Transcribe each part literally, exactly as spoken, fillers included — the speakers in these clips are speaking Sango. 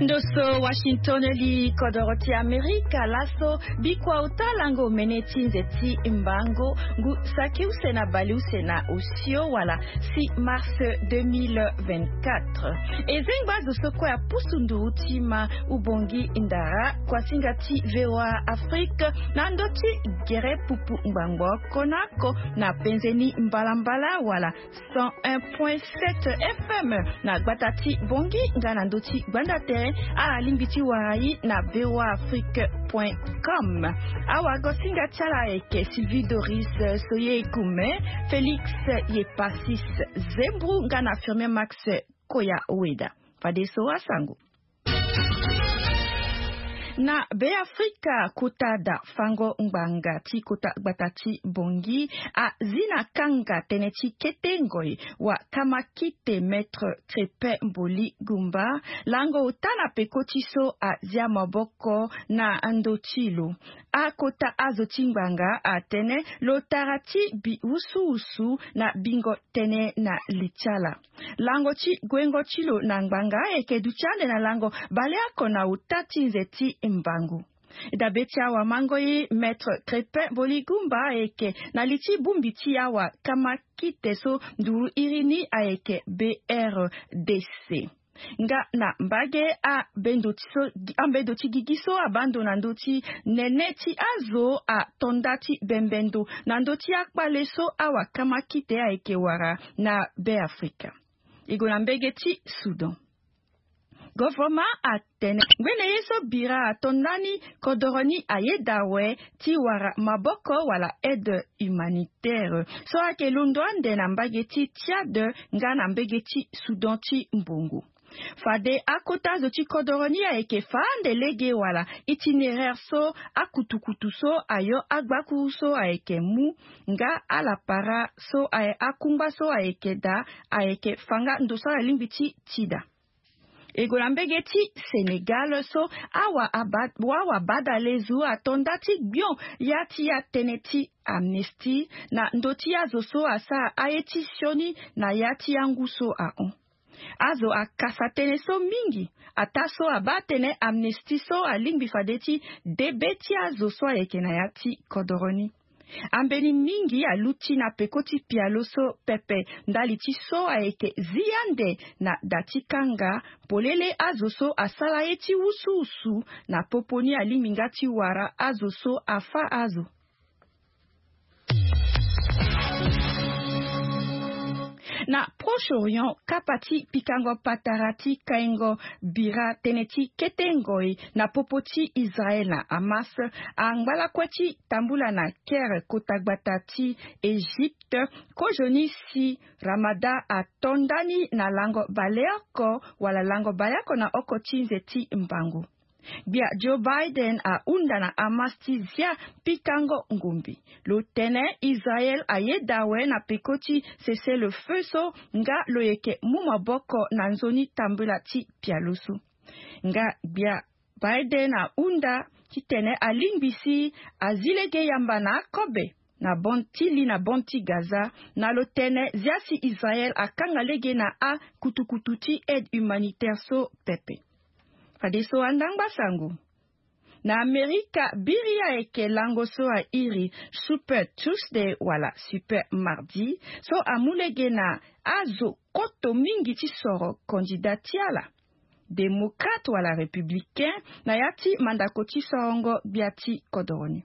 Ndo so Washington li kodoro ti Amerika laso. Bikua uta lango mene ti nze ti mbango ngu saki use na bale use na osio wala six mars deux mille vingt-quatre. E zengba zo so kue apusu nduru ti ma ubongi ndara kuasinga ti VOA Afrique na ndo ti gere pupu ngbangbo oko na oko na penze ni mbalambala wala cent un point sept F M na gbata ti Bongi nga na ndo ti gbanda tere. Alingbi ti wara ye na VOA Afrique point com. Awagosinga ti ala ayeke Sylvie Doris Soye Kume, Félix Yepasis Zembru nga na Firmin Max Koya Weda. Fadeso asango. Na Beafrika, kota da fango ngbanga ti kota gbata ti Bongi azi na kanga tënë ti kete ngoi wa kamakite Maître Crépin Mboli Gumba, lango ota na peko ti so azia maboko na ndo ti lo. Akota azo ti ngbanga atene lo tara ti bi wusuwusu na bingo tënë na li ti ala. Lango ti guengo ti lo na ngbanga ayeke duti ande na lango baleoko na ota ti nze ti mbangu. Dabe ti awamango ye Maître Crépin Mboli Gumba ayeke na li ti bongbi ti awa kamakite so nduru iri ni ayeke B R D C. Nga na mbage ambendo ti so ambendo ti gigi so abando na ndo ti nene ti azo ato nda ti bembe ndo na ndo ti akpale so awa kamakite ayeke wara na Beafrika. E gue na mbage ti Soudan. Govoroma atene ngbene ye so bira ato nda ni kodoro ni ayeda awe ti wara maboko wala aide humanitaire so ayeke londo ande na mbage ti Tchad nga na mbage ti Soudan ti mbongo. Fade akota zo ti kodoro ni ayeke fa ande lege wala itinéraire so akutukutu so ayo agbakuru so ayeke mu nga alapara so aye akungba so ayeke daa ayeke fa nga ndo so alingbi ti ti daa. E gue na mbage ti Sénégal so awa aba- wawa badalezu ato nda ti gbion ya ti ya tënë ti amnistie na ndo ti azo so asara aye ti sioni na ya ti ya ngu so ahon. Azo akasa tënë so mingi ataa so abaa tënë amnistie so alingbi fade ti debe ti azo so ayeke na ya ti kodoro ni. Ambeni mingi aluti na peko ti pialo so pepe ndali ti so ayeke zi ande na da ti kanga polele azo so asara ye ti wusuwusu na popo ni alingbi nga ti wara azo so afa azo. Na Proche-Orient, kapa ti pikango patara ti kaingo bira tënë ti kete ngoi na popo ti Israël na Hamas angba lakue ti tambula na Caire, kota gbata ti Égypte, kozoni si Ramadan ato nda ni na lango baleoko wala lango baleoko na oko ti nze ti mbango. Gbia Joe Biden ahunda na Hamas ti zia pikango ngombe. Lo tene Israël ayeda awe na peko ti cessez-le-feu so nga lo yeke mu maboko na nzoni tambula ti pialo so. Nga gbia Biden ahunda titene alingbi si azi lege yamba na akobe na bande ti li na bande ti Gaza na lo tene zia si Israël akanga lege na akutukutu ti aide humanitaire so pepe. Fadeso andangba sango. Na Amerika, biri ayeke lango so airi Super Tuesday wala Super Mardi so amu lege na azo koto mingi ti soro kandida ti ala, démocrate wala républicain, na ya ti mandako ti sorongo gbia ti kodoro ni.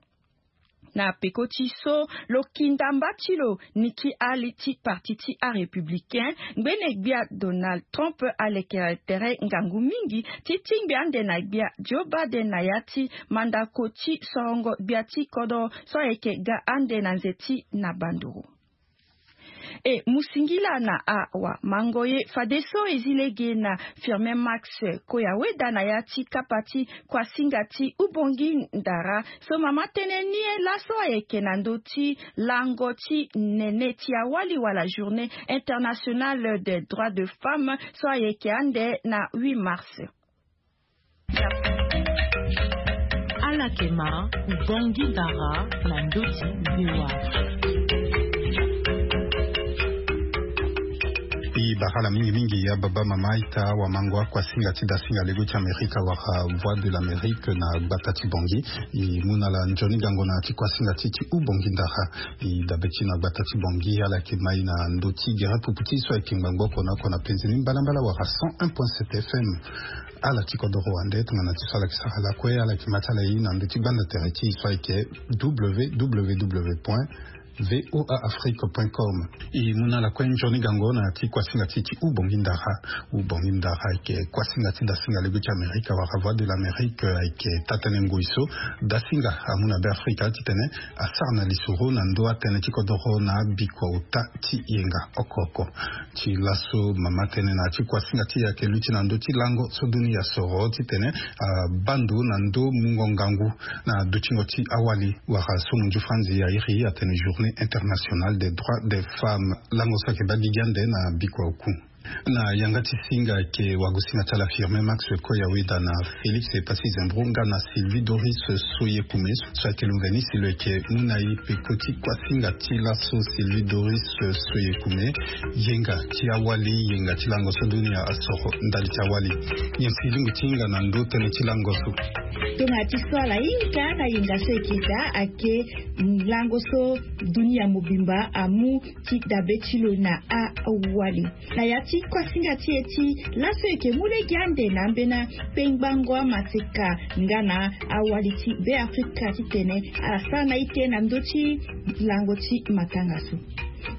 Na peko ti so lo kinda mba ti lo Nikki Haley ti parti ti arépublicain, ngbene gbia Donald Trump alekere tere ngangu mingi ti tingbi ande na gbia Joe Biden na ya ti mandako ti sorongo gbia ti kodoro so ayeke ga ande na nze ti na banduru. E mu singila na awamango ye fadeso e zi lege na Firmin Max Koyaweda na ya ti kapa ti kuasinga ti ubongi ndara so mama tënë ni laso ayeke na ndö ti lango ti nene ti awali wala Journée Internationale des Droits de Femmes so ayeke ande na huit mars. Ala yeke ma ubongi ndara na ndö ti VOA. Dara ala mingi mingi ya baba mama ita wa mango akua singa ti dasinga lego ti amerika wara voie de l'amerique na gbata ti bongi. E mu na ala nzoni gango na ti kua singa ti ti u bongi ndara. E dabe ti na gbata ti bongi ala yeke mai na ndö ti gere pupu ti so ayeke ngbangbo oko na oko na penze ni mbalambala wara cent un point sept fm. Ala ti kodoro wande tongana ti so ala yeke sara lakue ala yeke ma ti ala ye na ndö ti gbanda tere ti so ayeke www point voa afrique point com. E mu na ala kue nzoni gango na ti kuasinga ti ti u bongi ndara. U bongi ndara ayeke kuasinga ti dasinga lego ti amerika wala voie de l'amerique ayeke taa-tënë ngoi so dasinga amu na be afrika titene asara na lisoro na ndö atënë ti kodoro na abikua ota ti yenga oko oko. Ti laso mama tënë na ti kuasinga ti e ayeke luti na ndö ti lango so dunia soro titene abaa ndo na ndö mungo ngangu na dutingo ti awali wala so munzu franzi airi atene journée internationale des droits des femmes. Lango so ayeke baa gigi ande na bikua oku. Na yanga ti singa ayeke wagosinga ti ala firme max koya weda na félix epasi zembro nga na sylvie doris soyekume so ayeke lungeni si lo yeke mu na e peko ti kuasinga ti laso sylvie doris soyekume. Yenga ti awali yenga ti lango so dunia asoro ndali ti awali. Nyen si lingo ti hinga na ndö tënë ti lango so? Tongana ti so ala hinga na yenga so eke daa ayeke lango so dunia mobimba amu ti dabe ti lo na awali. Na ya ti kuasinga ti e ti laso eke mu lege ande na ambeni akpengbango amateka nga na awali ti be afrika titene ala sara na ite na ndö ti lango ti matanga so.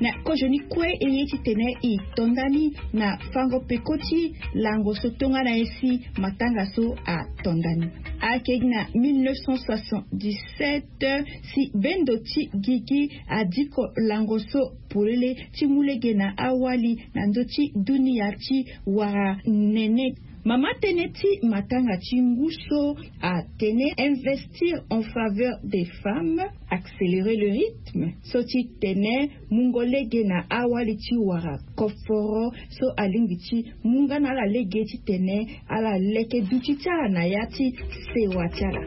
Na kozoni kue e ye titene e to ndani na fango peko ti lango so tongana ye si matanga so ato ndani. Ayeke gi na mille neuf cent soixante-dix-sept si bendo ti gigi adiko lango so polele ti mu lege na awali na ndö ti dunia ti wara nene. Mama tënë ti matanga ti ngu so atene investir en faveur des femmes, accélérer le rythme so ti tene mungo lege na awali ti wara koforo so alingbi ti mu nga na ala lege titene ala leke duti ti ala na ya ti sewa ti ala.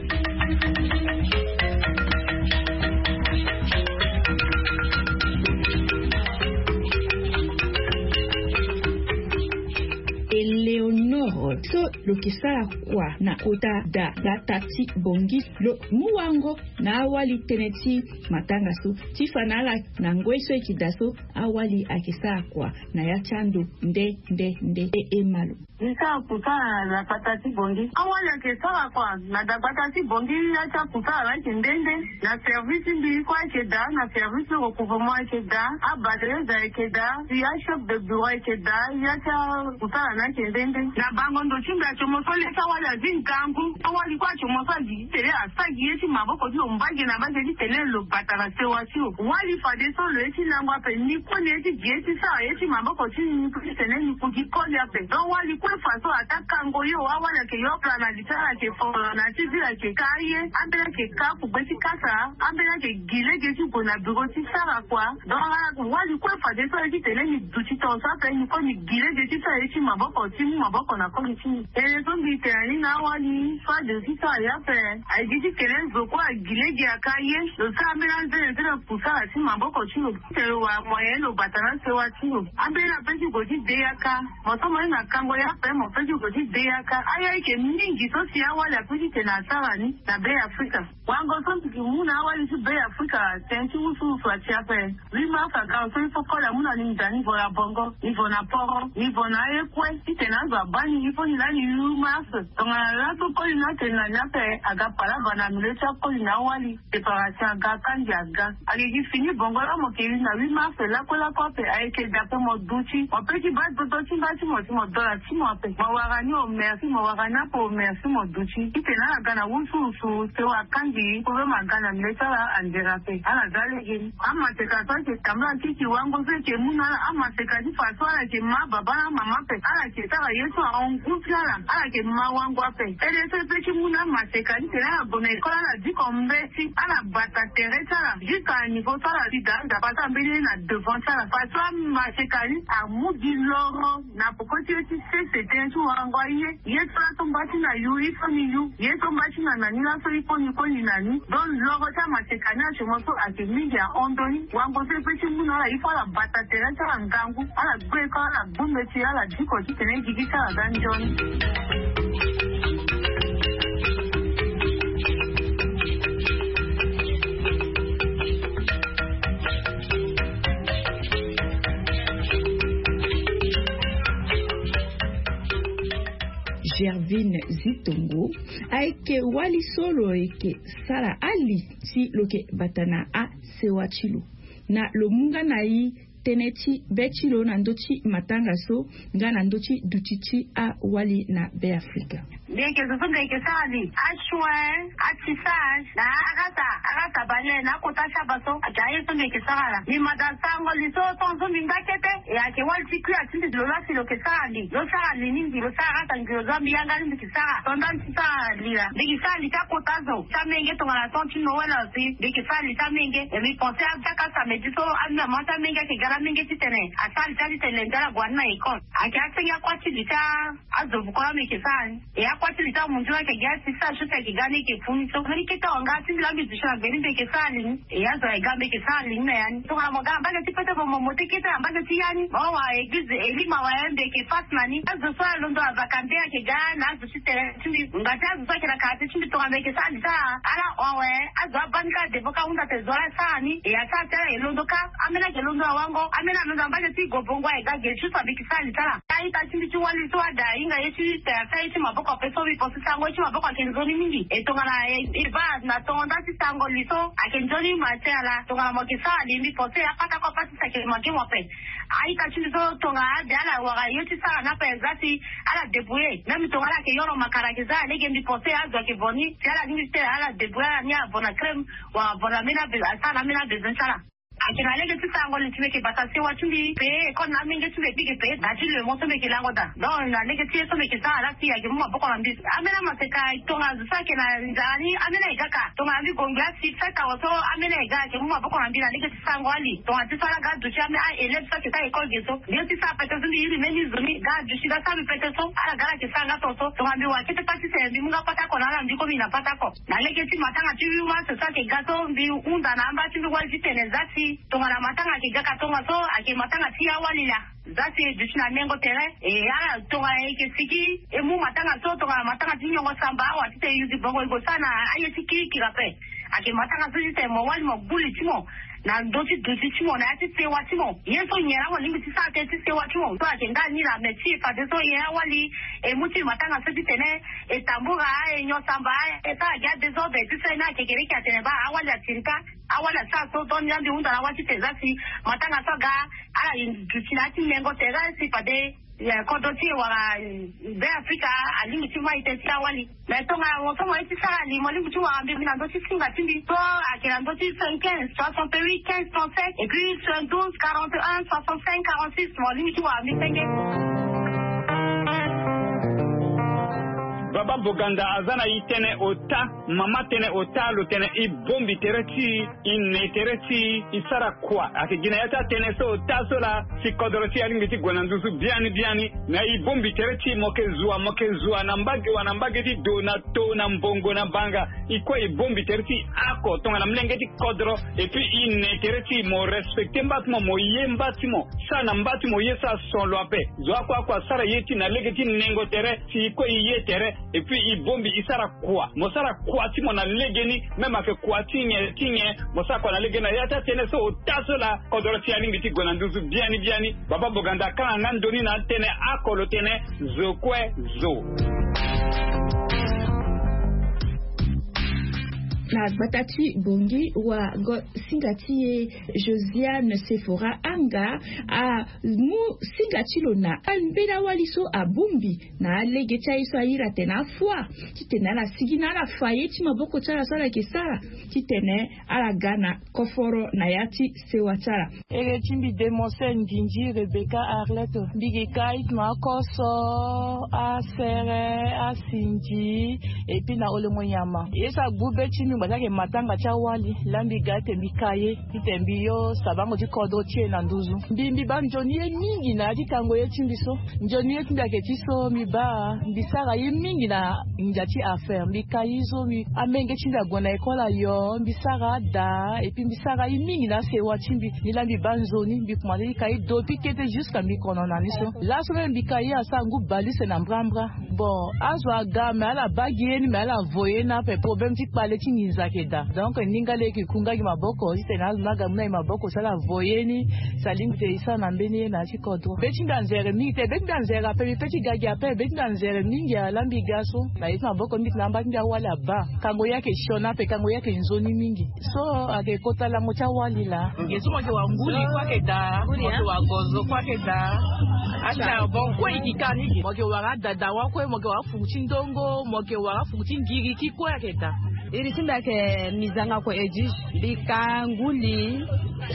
Eleonore so lo yeke sara kua na kota da gbata ti bongi lo mu wango na awali tënë ti matanga so ti fa na ala na ngoi so e yeke daa so awali ayeke sara kua na ya ti ando nde nde nde e e ma lo. Ni sara kusala na gbata ti bongi awali ayeke sara kua na dagbata ti bongi ya ti akusala na ayeke nde nde. Na service ti mbi kue ayeke daa na service ti recouvrement ayeke daa. Abaleuse ayeke daa si achef de bureau ayeke daa ya ti akusala na ayeke nde nde. Na bango ndo ti mbi acomo so le ti awali azi ngangu awali kue acomo so agi ti tene asagi ye ti maboko ti lo mbage na mbage ti tene lo bata na sewa ti lo. Wali fadeso lo ye ti lango ape ni kue ni ye ti gi ye ti sara ye ti maboko ti ni kue ti tene ni ku gi koli ape. Donc wali kue faso ata kango yo awali ayeke yokla na li ti ala ayeke foro na ti vile ayeke ka aye. Ambeni ayeke ka kugbe ti kasa ambeni ayeke gi lege ti gue na biro ti sara kua. Donc wali kue fadeso ye ti tene ni duti tonso ape ni kue ni gi lege ti sara ye ti maboko ti mu maboko na koli ti ni. Tene so mbi tene ni na awali so ade ti sara ye ape. Aye gi ti tene zo kue agi lege aka ye lo sara ambeni anzene ti lo kusala ti maboko ti lo ti tene lo wara moyen lo bata na sewa ti lo. Ambeni ape ti gue ti de yaka. Mo so mo ye na kango ye ape mo pe ti gue ti de yaka aye ayeke mingi so si awali ape ti tene asara ni na be afrika. Wango so mbi ke mu na awali ti be afrika tene ti wusuwusu ati ape. Huit mars aga so il faut koli amu na ni nda niveau na bongo niveau na poro niveau na aye kue ti tene azo abaa ni il faut ni lani huit mars. Tongana laso koli ni atene na ni ape aga palaba na milieu ti akoli na awali. Séparation aga kandi aga. Ayeke gi fini bongo laa mo ke li na huit mars lakue lakue ape ayeke dape mo duti mo pe ti baa dodo ti mba ti mo si mo dola ti mo ape mo wara ni au merci mo wara ni ape au merci mo duti ti tene ala ga na wusuwusu. Sewa kandi problème aga na mbe ti ala andere ape ala za lege ni. Amaseka so ayeke tambula kiki wango so eke mu na ala amaseka ti fa so ala yeke ma baba na mama ape ala yeke sara ye so ahon ngu ti ala. ala ala yeke ma wango ape. Tënë so e pe ti mu na amaseka ni tene ala gue na école ala diko mbeti ala bata tere ti ala jusqu'à niveau so ala si daa nzapa so ambeni ye na devant ti ala parce que amaseka ni amu gi loro na poko ti ye ti sese tënë ti wango aye. Ye so laso mba ti na yu ifo ni yu ye so mba ti na na ni laso ifo ni koli na ni. Donc loro ti amaseka ni asomo so ayeke mingi ahon ndoni wango so e pe ti mu na ala ifo ala bata tere ti ala ngangu ala gbe eko ala gbu mbeti ala diko titene e gigi ti ala ga nzoni. Gervine Zitongo ayeke wali so lo yeke sara ali si lo yeke bata na asewa ti lo na lo mu nga na e tënë ti be ti lo na ndö ti matanga so nga na ndö ti duti ti awali na Be Afrika. Mbi yeke zo so mbi yeke sara li asoin, atissage na arasa arasa bale na akota ti aba so ayeke aye so mbi yeke sara ala. Mbi mada sango li so ton so mbi ngba kete e ayeke wali ti kui ati mbi lo laa si lo yeke sara li lo sara li ni mbi lo sara arasa ngi lo zo mbi yanga ni mbi yeke sara ton nda mbi ti sara li laa mbi yeke sara li ti akota zo ti amenge tongana ton ti noel aussi mbi yeke sara li ti amenge. E mbi pense aka samedi so amama ti amenge ayeke ga na amenge titene asara li ti ali tene lende ala gue ani na école. Ayeke asenge akua ti li ti azo vuko la mbi yeke sara ni. E akua ti li ti amunzu la ayeke gi asi sara so si ayeke ga ni ayeke fu ni so mbeni kete awa nga ti mbi la mbi duti na gbe ni mbi yeke sara li ni. E azo ayeke ga mbi yeke sara li ni na ya ni tongana mo ga na mbage ti pete mo mo mo te kete na mbage ti ya ni mo wa eglize elima wa ya mbi yeke fas na ni azo so alondo avaka nde ayeke ga na azo ti tene ti mbi ngba ti azo so ayeke na karate ti mbi tongana mbi yeke sara li ti ala ala hon awe. Azo abaa ni kâ devo kâ ahunda tene zo ala sara ni e asara ti ala e londo kâ. Ambeni ayeke londo na wango ambeni alondo na mbage ti gobongo aye ga ge juste mbi yeke sara li ti ala. Aita ti mbi ti wali so ada ahinga ye ti te asara ye ti maboko ape so mbi pense sango ye ti maboko ayeke nzoni mingi e tongana e va na tongo nda ti sango li so ayeke nzoni ma ti ala tongana mo yeke sara li mbi pense apatako apatisi ayeke manke mo ape. Aita ti mbi so tongana ade ala wara ye ti sara ni ape za si ala débrouiller même tongana ala yeke yoro makara ayeke za alege mbi pense azo ayeke vo ni si ala lingbi ti tene ala débrouiller ala ni avo na crème wala avo na ambeni abe asara na ambeni abesoin ti ala. Ayeke na lege ti sarango li ti mbi yeke bata sewa ti mbi payé école na amenge ti mbi mbi yeke payé da ti le mot so mbi yeke lango daa donc na lege ti ye so mbi yeke sara laa si ayeke mu maboko na mbi. Ambeni amaseka tongana zo so ayeke na nzara ni ambeni aye ga ka tongana mbi gue ngbe asi fête awe so ambeni aye ga ayeke mu maboko na mbi na lege ti sarango ali tongana ti so ala ga aduti ambeni a élève so ayeke sara école ge so mbi ye ti sara pete so mbi iri mbeni zo ni ga aduti ga sara mbi pete so ala ga ala yeke sara nga ton so tongana mbi wara kete pâte ti tene mbi mu nga pâte oko na ala mbi komi na pâte oko. Na lege ti matanga ti huit mars so ayeke ga so mbi hunda na amba ti mbi wali ti tene za si tongana matanga ayeke ga ka tongaso ayeke matanga ti awali laa. Za si e duti na nengo tere e ala tongana e yeke sigi e mu matanga so tongana matanga ti nyongo samba awa titene e yuzi bongo e gue sara na aye ti kirikiri ape. Ayeke matanga so titene mo wali mo gbu li ti mo na ndö ti duti ti mo na ya ti sewa ti mo. Ye so nyen laa mo lingbi ti sara tënë ti sewa ti mo so ayeke ndali ni laa me ti e fadeso nyen awali e mu ti e matanga so titene e tambura e nyon samba e sara gi adésordre ti so e ni ayeke kereke atene baa awali atiri kâ. Awali asara so donc ni la mbi hunda na wâ ti tene za si matanga so aga ala duti na ya ti nengo tere si fade kodro ti e wala be afrika alingbi ti ma ite ti awali. Mais tongana mo so mo ye ti sara li mo lingbi ti wara mbi na ndö ti singa ti mbi so ayeke na ndö ti soixante-quinze soixante-huit quinze trente-sept et puis soixante-douze quarante-un soixante-cinq quarante-six mo lingbi ti wara mbi senge. Baba Boganda aza na e tënë ota. Mama tënë ota lo tene e bongbi tere ti e, e ne tere ti e, e sara kua. Ayeke gi na ya ti atënë so ota so laa si kodro ti e alingbi ti gue na nduzu biani biani. Na e bongbi tere ti e mo yeke zo wa mo yeke zo wa na mbage wa na mbage ti do na to na mbongo na banga. E kue e bongbi tere ti e oko tongana molenge ti kodro. Et puis e ne tere ti e mo respecter mba ti mo mo ye mba ti mo. Sara na mba ti mo ye so ason lo ape. Zo oko oko asara ye ti e na lege ti nengo tere si e kue e ye tere. Et puis e bongbi e sara kua mo sara kua ti mo na legeni. Même ayeke kua ti nyen ti nyen mo sara kua na legeni na ya ti atënë so ota so laa kodro ti e alingbi ti gue na nduzu biani biani. Baba Boganda akanga nga ndoni na atënë oko lo tene zo kue zo. Na gbata ti Bongi wa go singa ti e Josiane Sephora Anga amu singa ti lo na ambeni awali so abongbi na alege ti aye so ayiri atene afoi titene ala sigi na ala fa ye ti maboko ti ala so ala yeke sara titene ala ga na koforo na ya ti sewa ti ala. Ere ti mbi demonse ndindi Rebecca Arlette, mbi yeke ka ite na akoso, asere, asinzi, epui na olengo nyama. Ye so agbu be ti mbi ngba ti ayeke matanga ti awali laa mbi ga ete mbi ka ye titene mbi yo sabango ti kodro ti e na nduzu. Mbi mbi baa nzoni ye mingi na ya ti kango ye ti mbi so. Nzoni ye ti mbi ayeke ti so mbi baa mbi sara ye mingi na ndia ti affaire, mbi ka ye so mbi amenge ti mbi ague na école ayo, mbi sara ada, epui mbi sara ye mingi na asewa ti mbi. Ni laa mbi baa nzoni mbi kuma ti ka ye depuis kete jusqu'à mbi kono na ni so. Laso même mbi ka ye asara ngu bale use na mbrambra. Bon, azo aga me ala baa gi ye ni me ala vo ye ni ape, problème ti kpale ti nginza ayeke daa. Donc ni nga lege e ku nga gi maboko titene azo ni aga mu na gi maboko si ala vo ye ni, si alingbi te e sara na mbeni ye na ya ti kodro. Be ti mbi anzere mingi te, be ti mbi anzere ape, mbi pe ti ga gi ape, be ti mbi anzere mingi ala mbi ga so na ye ti maboko mbi tena amba ti mbi awali abaa. Kango ye ayeke sioni ape, kango ye ayeke nzoni mingi. So ayeke kota lango ti awali laa. Nge so mo yeke wara nguli kue ayeke daa, mo yeke wara gozo kue ayeke daa. Acharbon kue e yeke ka ni. Mo yeke wara adadawa kue, mo yeke wara afuku ti ndongo, mo yeke wara afuku ti ngiriki kue ayeke daa. Iri ti mbi ayeke mizanga ko edi. Mbi ka nguli,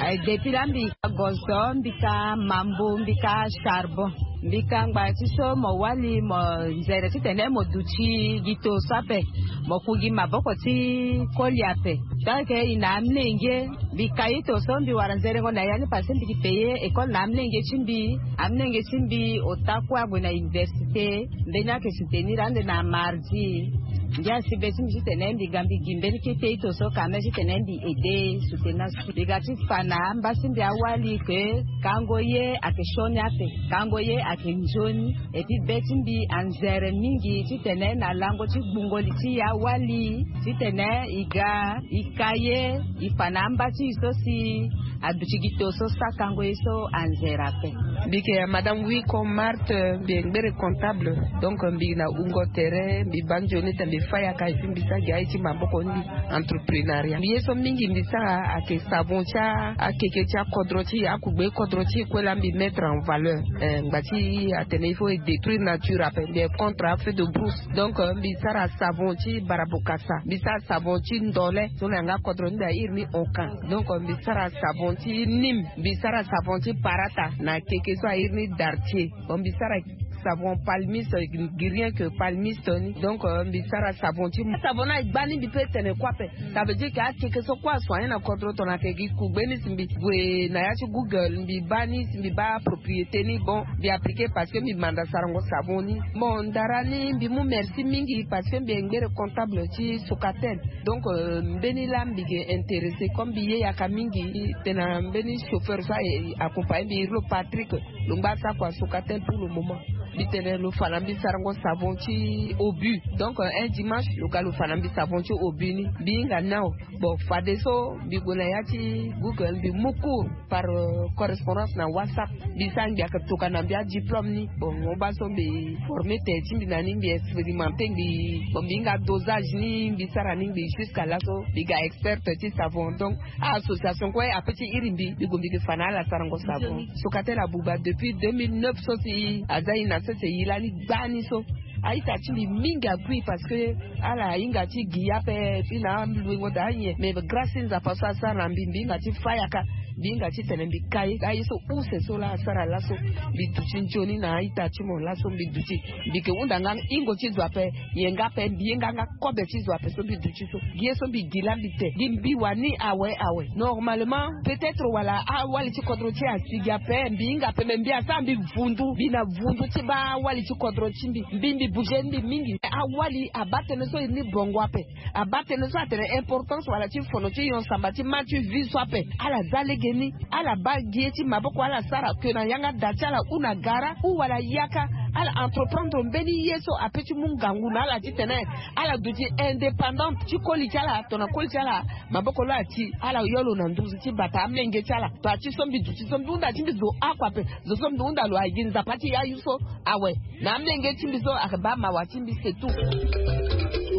eh, depuis laa mbi ka gozo, mbi ka mambu, mbi ka charbon. Mbi ka ngba ti so mo wali mo nzere titene mo duti gi to so ape, mo ku gi maboko ti koli ape. Tant que e na amlenge, mbi ka ito so mbi wara nzerengo na ya ni parce que mbi yeke paye école na amlenge ti mbi. Amlenge ti mbi ota kue ague na université, mbeni ayeke soutenir ande na mardi. Ngia si be ti mbi titene mbi ga mbi gi mbeni kete ito so quand même titene mbi aide soutenir. Mbi ga ti fa na amba ti mbi awali ke kango ye ayeke sioni ape, kango ye ayeke nzoni. Epui be ti mbi anzere mingi titene na lango ti gbungo li ti e awali titene e ga e ka ye, e fa na amba ti e so si aduti gi to so sakango ye so anzere ape. Mbi yeke madame Wiko Marthe, mbi yeke ngbere comptable. Donc mbi na wungo tere, mbi baa nzoni titene mbi fa yaka epui mbi sara gi aye ti maboko ni, entreprenariat. Mbi ye so mingi mbi sara ayeke savon ti akeke ti akodro ti e, akugbe kodro ti e kue laa mbi mettre en valeur. Eh, ngba ti atene il faut e détruire nature ape, mbi yeke contre afeu de brousse. Donc eh, mbi sara savon ti barabokasa, mbi sara savon ti ndole so na yanga kodro ni mbi airi ni onkan. Donc eh, mbi sara savon ti nîmes, mbi sara savon ti parata na keke so airi ni dartier. Bon, mbi sara savon palmiste, rien que palmiste ni. Donc eh, mbi sara savon ti savon ni, e gba ni mbi pe tene kue ape. Ça veut dire que akeke so kue asoigner na kodro tongana ayeke gi kugbe ni si mbi gue na ya ti Google mbi baa ni, si mbi baa propriété ni, bon, mbi appliquer parce que mbi manda sarango savon ni. Bon, ndara ni mbi mu merci mingi parce que mbi yeke ngbere comptable ti Socatel. Donc eh, mbeni laa mbi yeke intéressé comme mbi ye yaka mingi, tena mbeni chauffeur so aye accompagner mbi, iri lo Patrick, lo ngba asara kua Socatel pour le moment. Mbi tene lo fa na mbi sarango savon ti Obu. Donc eh, un dimanche lo ga lo fa na mbi savon ti Obu ni, mbi hinga nao. Bon, fadeso mbi gue na ya ti Google, mbi mu cours par eh, correspondance na WhatsApp. Mbi sara, mbi yeke tokua na mbi adiplôme ni. Bon, mo baa so mbi former tere ti mbi na ni, mbi expérimenter ngbii. Bon, mbi hinga dosage ni, mbi sara ni ngbii jusqu'à laso mbi ga experte ti savon. Donc a-association kue ape ti iri mbi, mbi gue mbi yeke fa na ala sarango savon. Socatel abuba depuis deux mille neuf so si aza e na sese e lani gbani so. A-ita ti mbi mingi agui parce que ala hinga ti gi ape, ti na aluengo daa nyen. Mais grâce ti Nzapa so asara na mbi, mbi hinga ti fa yaka, mbi hinga titene mbi ka ye. Aye so use so laa asara laso, mbi duti nzoni na a-ita ti mo laso mbi duti. Mbi yeke hunda nga hingo ti zo ape, nyen nga ape, mbi ye nga nga kobe ti zo ape so mbi duti so. Gi ye so mbi gi laa mbi te, gi mbi wani awe awe. Normalement peut-être wala awali ti kodro ti e asi gi ape, mbi hinga ape, me mbi asara mbi vundu, mbi na vundu ti baa awali ti kodro ti mbi. Mbi mbi bouger mbi mingi. Awali abaa tënë so e ni bongo ape. Abaa tënë so atene importance wala ti fono ti nyon samba ti ma ti vie so ape. Ala za lege ni, ala baa gi ye ti maboko ala sara, ke na yanga da ti ala ou na gara ou wala yaka, ala entreprendre mbeni ye so ape ti mu ngangu na ala titene ala duti indépendante ti koli ti ala, tongana koli ti ala maboko lo ati, ala yo lo na nduzu ti bata amenge ti ala. Taa ti so mbi duti so mbi hunda ti mbi zo oko ape, zo so mbi hunda lo agi Nzapa ti yayu so awe. Na amenge ti mbi so ayeke baa mawa ti mbi, c'est tout.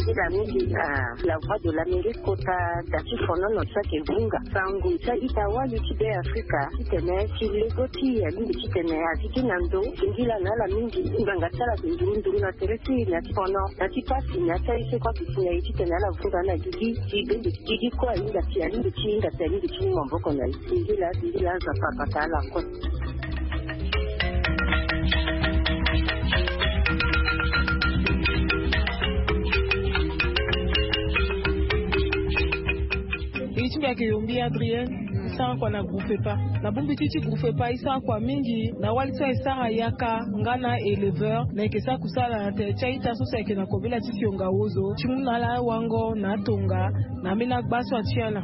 Ila mingi na la voix de l'Amérique kota da ti fonono ti ayeke vunga sango ti a-ita wali ti Be Afrika titene ti lego ti e alingbi titene azi ti na ndo singila na ala mingi. Ngbanga ti ala ayeke nduru nduru na tere ti e na ti fono na ti pasi na ti aye so kue ayeke si na e titene ala vunga na gigi ti bende ti gigi kue ahinga si alingbi ti hinga si alingbi ti mu maboko na e. Singila singila aza papa ta ala kue. Iri ti mbi ayeke yombi Adrienne. E sara kua na groupe epa na bongbi ti ti groupe epa e sara kua mingi na wali so aye sara yaka nga na éleveur na yeke sara kusala na tere ti a-ita so si ayeke na kobela ti fionga wozo ti mu na ala awango na atonga na ambeni agba so atia na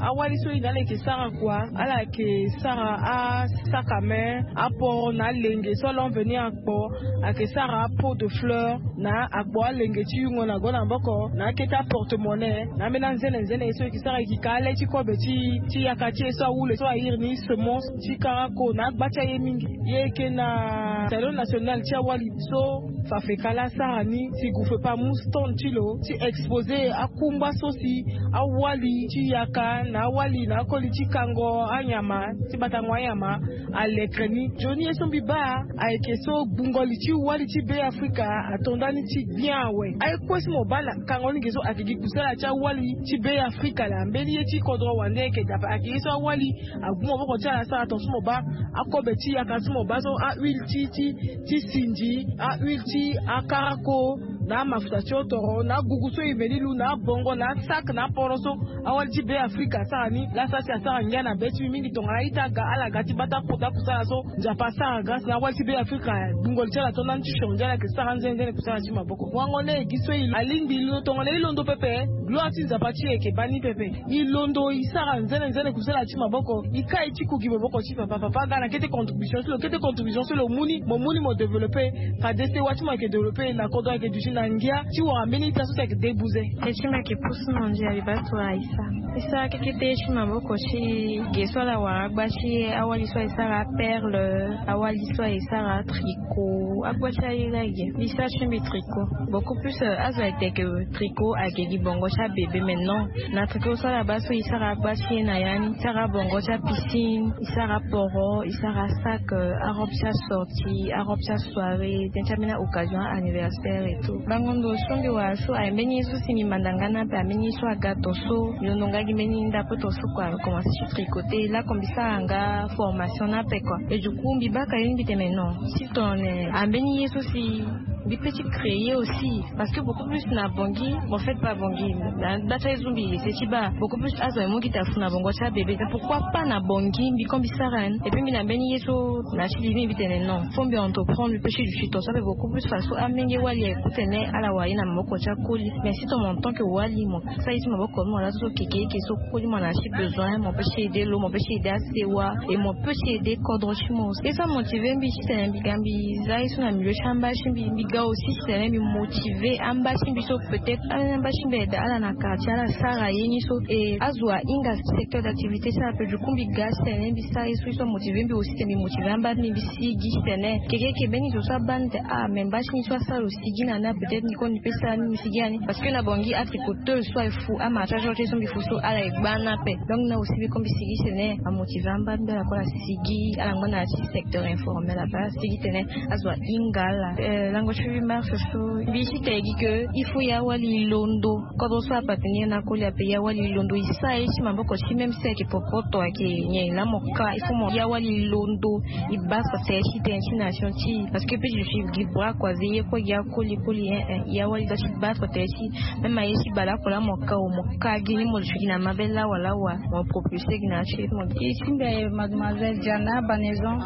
awali so e na ala yeke sara kua ala yeke sara asakame aporo na alenge so ala envenir akpo ayeke sara apeau de fleur na akpo alenge ti yungo na go na maboko na akete aporte-monnaie na ambeni anzene nzene ye so e yeke sara e yeke ka ale ti kobe ti ti yaka ti e so awule so airi ni semence ti karako na agba ti aye mingi. E yeke na salon national ti awali so fafe kala asara ni si groupe epa amu stand ti lo ti expose akungba so si awali ti yaka na awali na akoli ti kango anyama ti batango anyama alekre ni. Nzoni ye so mbi baa ayeke so gbungo li ti wali ti Be Afrika ato ndani ti gbia awe. Aye kue so mo baa na kango ni ge so ayeke gi kusala ti awali ti Be Afrika laa mbeni ye ti kodro wande ayeke dape ayeke ye so awali agu maboko ti ala asara tongaso mo baa akobe ti yaka so mo baa so ahuile ti ti ti sinzi ahuile ti akarako na amafuta ti otoro na agugu so e me ni lu na abongo na asak na aporo so awali ti Be Afrika asara ni laa sara si asara ngia na be ti mbi mingi tongana a-ita aga ala ga ti baa ti akota kusala so Nzapa asara grâce na awali ti Be Afrika. Gbungo li ti ala to ndani ti changer ala yeke sara nzene nzene kusala ti maboko wango ni e gi so e alingbi e londo tongana e londo pepe. Gloire ti Nzapa ti e yeke baa ni pepe. E londo e sara nzene nzene kusala ti maboko e kai ti kugi maboko ti papa papa aga na kete contribution so lo kete contribution so lo mu ni mo mu ni mo développer. Fade sewa ti mo ayeke développer na kodro ayeke duti na ngia ti wara mbeni ita so si ayeke debuze. Ye ti mbi ayeke pusu na ndia li baa tongana e sara e sara kekete ye ti maboko ti ge so ala wara agba ti e awali so aye sara aperle awali so aye sara tricot agba ti aye laa e ge mbi sara ti mbi tricot beaucoup plus azo ayeke teke tricot ayeke gi bongo ti abebe mais non na tricot so ala baa so e sara agba ti e na ya ni e sara bongo ti apiscine e sara aporo e sara asak arobe ti asorti arobe ti asoirée tënë ti ambeni aoccasion anniversaire et tout bango ndo so mbi wara so aye mbeni ye so si mbi manda nga ni ape ambeni ye so aga tongaso mbi londo nga gi mbeni ndapo tongaso kua mbi komanse ti tricoter lako mbi sara nga formation ni ape kua et du coup mbi baka ye ni mbi tene non si tongana ambeni ye so si mbi pe ti créer aussi parce que beaucoup plus na bongi mo fête pas bongi na gba ti aye so mbi ese ti baa beaucoup plus azo aye mu gi ta fu na bongo ti abebe pourquoi pas na bongi mbi ko mbi sara ni et puis mbi na mbeni ye so na ti libi mbi tene non fo mbi entreprendre mbi pe ti du ti tongaso ape beaucoup plus faso amenge wali aye ku tene ala wara ye na maboko ti akoli mais si tongana en tant que wali mo sara ye ti maboko ni mo laa so so keke eke so koli mo na ti besoin mo pe ti aider lo mo pe ti aider asewa et mo pe ti aider kodro ti mo ye so amotiver mbi titene mbi ga mbi za ye so na milieu ti amba ti mbi mbi ga aussi titene mbi motiver amba ti mbi so peut-être ala ni amba ti mbi ayeda ala na quartier ala sara ye ni so et azo ahinga secteur d'activité ti ala pe du coup mbi ga titene mbi sara ye so ye so amotiver mbi aussi titene mbi motiver amba ti mbi mbi sigi titene keke eke mbeni zo so abaa ni tene ah mais mba ti ni so asara lo sigi na ni ah peut-être ni ko ni pe sara ni mbi sigi na ni parce que na bongi atricoteuse so aye fu amarchage so ti ye so mbi fu so ala ye gba ni ape donc na aussi mbi ko mbi sigi tene amotiver amba ti mbi ala ko ala sigi ala ngba na ya ti secteur informel abaa sigi tene azo ahinga ala lango ti huit mars so mbi ti tene gi ke il faut ya wali londo kodro so apateni ye na koli ape ya wali londo e sara ye ti maboko ti même si ayeke popoto ayeke nyen laa mo ka il faut mo ya wali londo e baa so tere ti tene ti nation ti parce que pe je suis gi bras croisé ye kue gi akoli koli hein hein ya wali doit ti baa so tere ti même aye ti bale ako laa mo ka o mo ka gi ni mo duti gi na mabe lawa lawa mo propulsé gi na ya ti mo gi ti mbi aye mademoiselle Diana Banaison.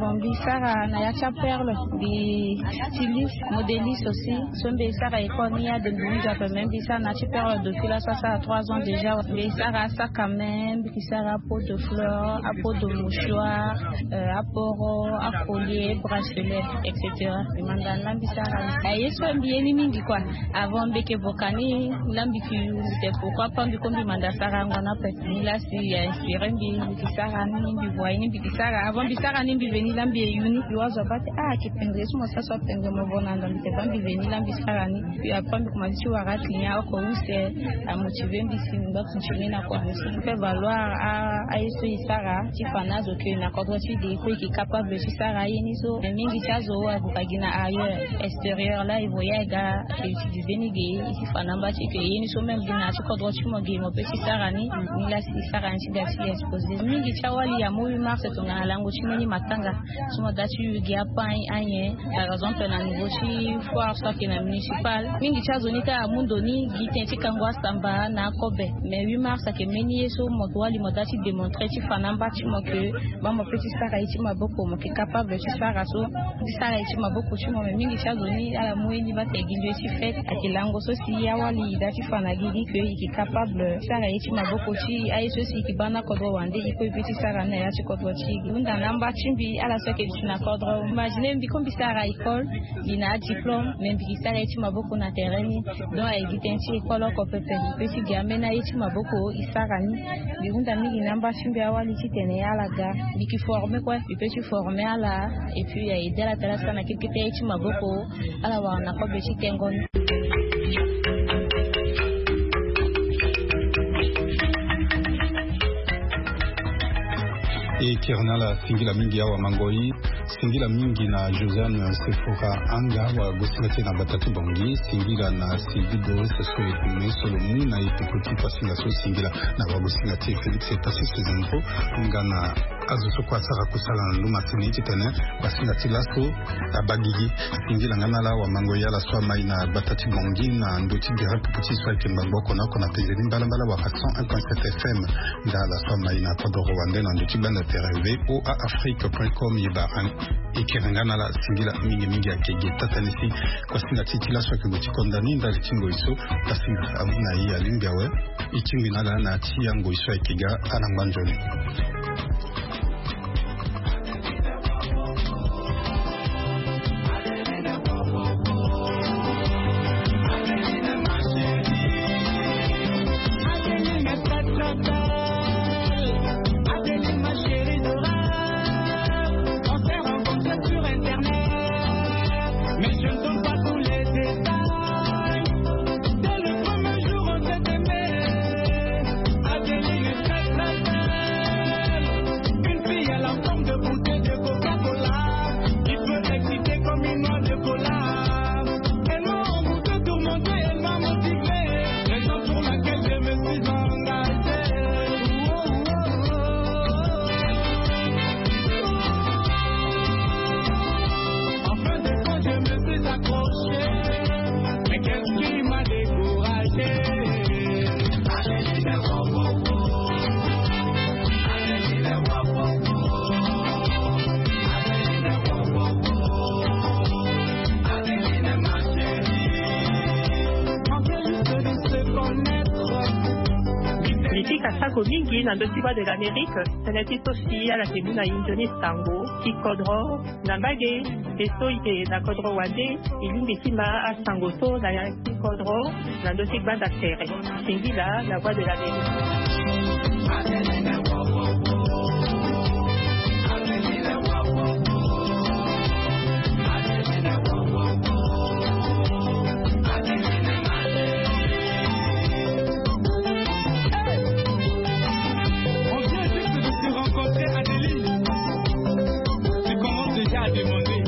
Bon mbi sara na ya ti aperle mbi styliste modéliste aussi so mbi sara école ni ya de mbi mu nzapa mais mbi sara na ti perle depuis la so asara trois ans déjà mbi sara asaka même mbi sara apeau de fleur apeau de mouchoir aporo acollier bracelet etc. Mbi manda ni la mbi sara ni aye so mbi ye ni mingi kua avant mbi yeke voka ni la mbi yeke yu mbi tene pourquoi pas mbi ko mbi manda sara yango ni ape ni la si a inspiré mbi mbi yeke sara ni mbi voye ni mbi yeke sara avant mbi sara ni mbi veni la mbi ye yu ni mbi wazo abaa tene ah ayeke pendre so mo sara So atene mo vo na ndo mbi te baa mbi veni laa mbi sara ni. Puis après mbi komanse ti wara client oko use, amotive mbi si mbi ngba continue na kua ni so mbi fait valoir a aye so e sara ti fa na azo ke na kodro ti e ge e kue e ke capable ti sara aye ni so. Mais mingi ti azo ague ka gi na ailleurs, extérieur laa e voyage ga, e utiliser ni ge e ti fa na mba ti e ke ye ni so même gi na ya ti kodro ti mo ge mo peut ti sara ni. Ni laa si e sara ni ti ga ti exposer. Mingi ti awali amu huit mars tongana lango ti mbeni matanga. Ti mo daa ti yu gi apan anyen. Par exemple na niveau ti foire so ayeke na municipal, mingi ti azo ni kâ amu ndo ni gi tënë ti kango asamba na akobe. Mais huit mars ayeke mbeni ye so mo wali mo daa ti démontrer ti fa na mba ti mo ke baa mo peut ti sara ye ti maboko, mo yeke capable ti sara so ti sara ye ti maboko ti mo. Mais mingi ti azo ni ala mu ye ni baa tene gi ndoye ti fête ayeke lango so si awali e daa ti fa na gi gi ke e yeke capable ti sara ye ti maboko ti aye so si e yeke baa na kodro wande e kue e peut ti sara ni na ya ti kodro ti e. Hunda na mba ti mbi ala so ayeke duti na kodro. Imagine mbi ko mbi sara école, mbi na adiplôme, mais mbi ke sara ye ti maboko na terrain ni. Donc aye gi tënë ti école oko pepe, mbi peut ti gi ambeni aye ti maboko e sara ni. Mbi hunda mingi na mba ti mbi awali titene ala ga. Mbi ke former kue, mbi peut ti former ala. Et puis aye aidé ala tene asara na kete kete aye ti maboko. Ala wara na kobe ti tengo ni. E kiri na ala singila mingi awa Mangoi. Singila mingi na Josiane Sephora Anga, wagosinga ti e na gbata ti Bangui. Singila na Sylvie Doris so e kume so lo mu na e peko ti pasinga so. Singila na wagosinga ti e Félix Tacisse Zenfo nga na azo so kue asara kusala na nduma ti ni titene pasinga ti laso abaa gigi. Singila nga na ala awa Mangoi, ala so amai na gbata ti Bangui na ndö ti gere pupu ti e so ayeke ngbangbo oko na oko na penze ni mbalambala wala cent un point sept F M. Nda ala so amai na kodoro wande na ndö ti gbanda tere V O A Afrique point com. Ye baa e kiri nga na ala singila mingi mingi. Ayeke ge taa tënë si pasinga ti e ti laso ayeke gue ti konda ni ndali ti ngoi so pasinga amu na e alingbi awe. E tingbi na ala na ya ti angoi so ayeke ga ala ngba nzoni. Adeline, ma chérie dorée, on s'est rencontrés sur Internet, mais je ne donne pas tous les détails. Dès le premier jour, on s'est aimé. Adeline est très, très belle. Une fille à la forme de bouteille de Coca-Cola, qui peut exciter comme une noix de cola. Elle m'a envoûté, tourmenté, elle m'a motivé. Raison pour laquelle je me suis engagé. Oh, oh, oh, oh. En fin de compte, je me suis accroché. Mais qu'est-ce qui m'a découragé? Mbi fika sako mingi na ndö ti Voix de l'Amérique, tënë ti so si ala yeke mu na e nzoni sango ti kodro na mbage. E so e yeke na kodro wande, e lingbi ti ma asango so na ya ti kodro na ndö ti gbanda tere. Singila na Voix de l'Amérique. On vient juste de se rencontrer, Adeline. Tu commences déjà à demander.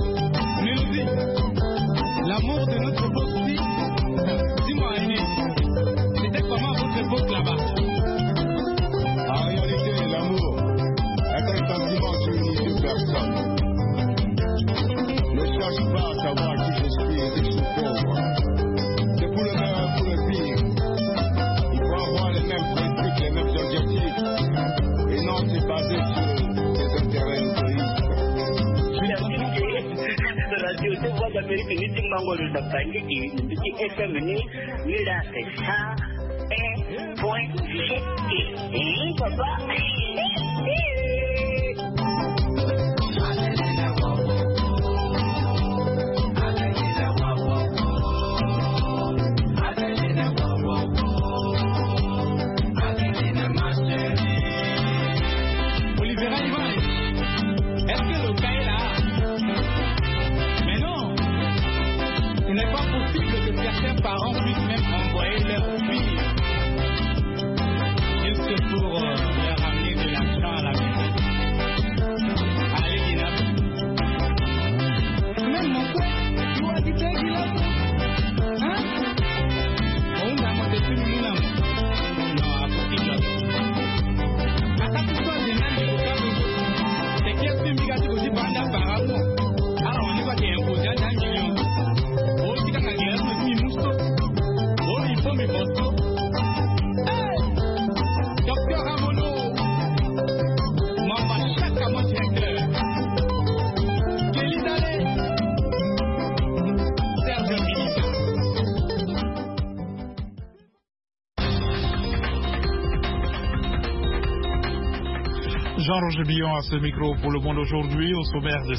Mélodie, l'amour de notre époque, si. Dis-moi, Aîné, c'était comment à votre époque là-bas? En réalité, l'amour est un sentiment qui unit deux personnes. Ne cherche pas à savoir qui je suis, riche ou pauvre. C'est pour le meilleur, pour le pire. Il faut avoir les mêmes principes, les mêmes objectifs. Et non se baser sur des intérêts égoïstes. Merci de radio de Voix d'Amérique, ni ti mango de Tangiki, ni ti F M ni, ni la c'est ça. Eh, point, eh, eh, papa. Olivera Ivan, est-ce que le gars est là? Mais non. Jean-Roger Billon à ce micro pour le monde aujourd'hui. Au sommaire de